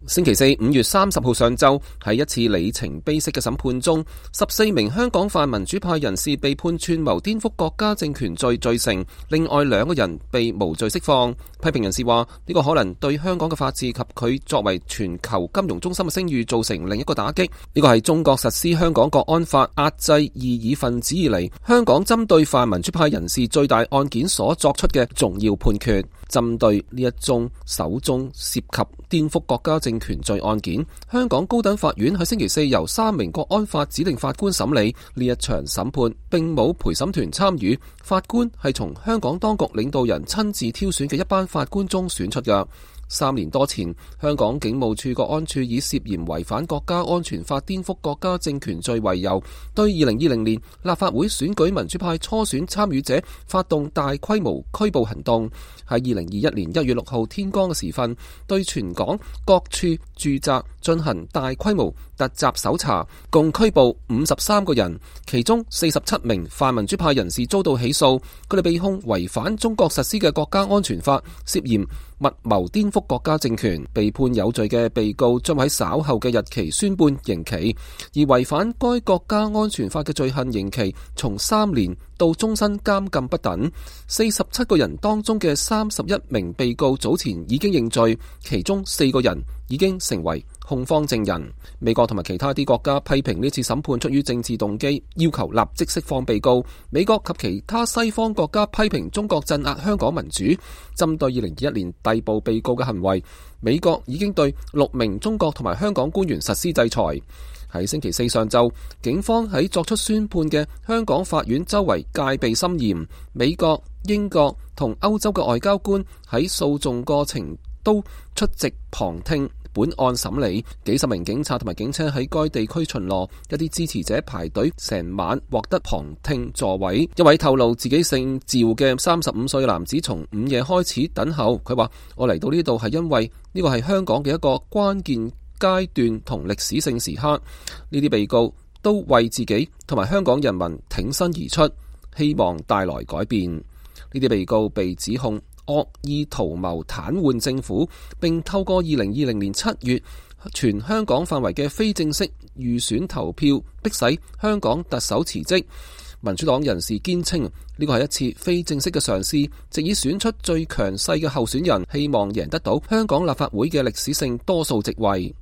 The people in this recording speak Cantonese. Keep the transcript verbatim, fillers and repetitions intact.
星期四五月三十號上晝，喺一次里程碑式嘅審判中，十四名香港泛民主派人士被判串謀顛覆國家政權罪罪成，另外兩個人被無罪釋放。批評人士話呢個可能對香港嘅法治及佢作為全球金融中心嘅聲譽造成另一個打擊。呢個係中國實施香港國安法壓制異議分子以嚟，香港針對泛民主派人士最大案件所作出嘅重要判決。針對呢一宗首宗涉及顛覆國家政權罪案件，香港高等法院喺星期四由三名國安法指定法官審理。呢一場審判並冇陪審團參與，法官係從香港當局領導人親自挑選嘅一班法官中選出嘅。三年多前，香港警務處國安處以涉嫌違反國家安全法顛覆國家政權罪為由，對二零二零年立法會選舉民主派初選參與者發動大規模拘捕行動。喺二零二一年一月六號天光嘅時分，對全港各處住宅進行大規模突襲搜查，共拘捕五十三個人，其中四十七名泛民主派人士遭到起訴，佢哋被控違反中國實施嘅國家安全法，涉嫌密謀顛覆國家政權。被判有罪嘅被告將喺稍後嘅日期宣判刑期，而違反該國家安全法嘅罪行刑期從三年到終身監禁不等。四十七個人當中嘅三十一名被告早前已經認罪，其中四個人已經成為控方證人。美國同埋其他啲國家批評呢次審判出於政治動機，要求立即釋放被告。美國及其他西方國家批評中國鎮壓香港民主。針對二零二一年逮捕被告嘅行為，美國已經對六名中國同埋香港官員實施制裁。喺星期四上晝，警方喺作出宣判嘅香港法院周圍戒備森嚴，美國、英國同歐洲嘅外交官喺訴訟過程都出席旁聽本案審理。幾十名警察同埋警車喺該地區巡邏，一啲支持者排隊成晚獲得旁聽座位。一位透露自己姓趙嘅三十五歲男子從午夜開始等候，佢話：我嚟到呢度係因為呢個係香港嘅一個關鍵階段同歷史性時刻。呢啲被告都為自己同埋香港人民挺身而出，希望帶來改變。呢啲被告被指控惡意圖謀癱瘓政府，並透過二零二零年七月全香港範圍嘅非正式預選投票，迫使香港特首辭職。民主黨人士堅稱呢個係一次非正式嘅嘗試，藉以選出最強勢嘅候選人，希望贏得到香港立法會嘅歷史性多數席位。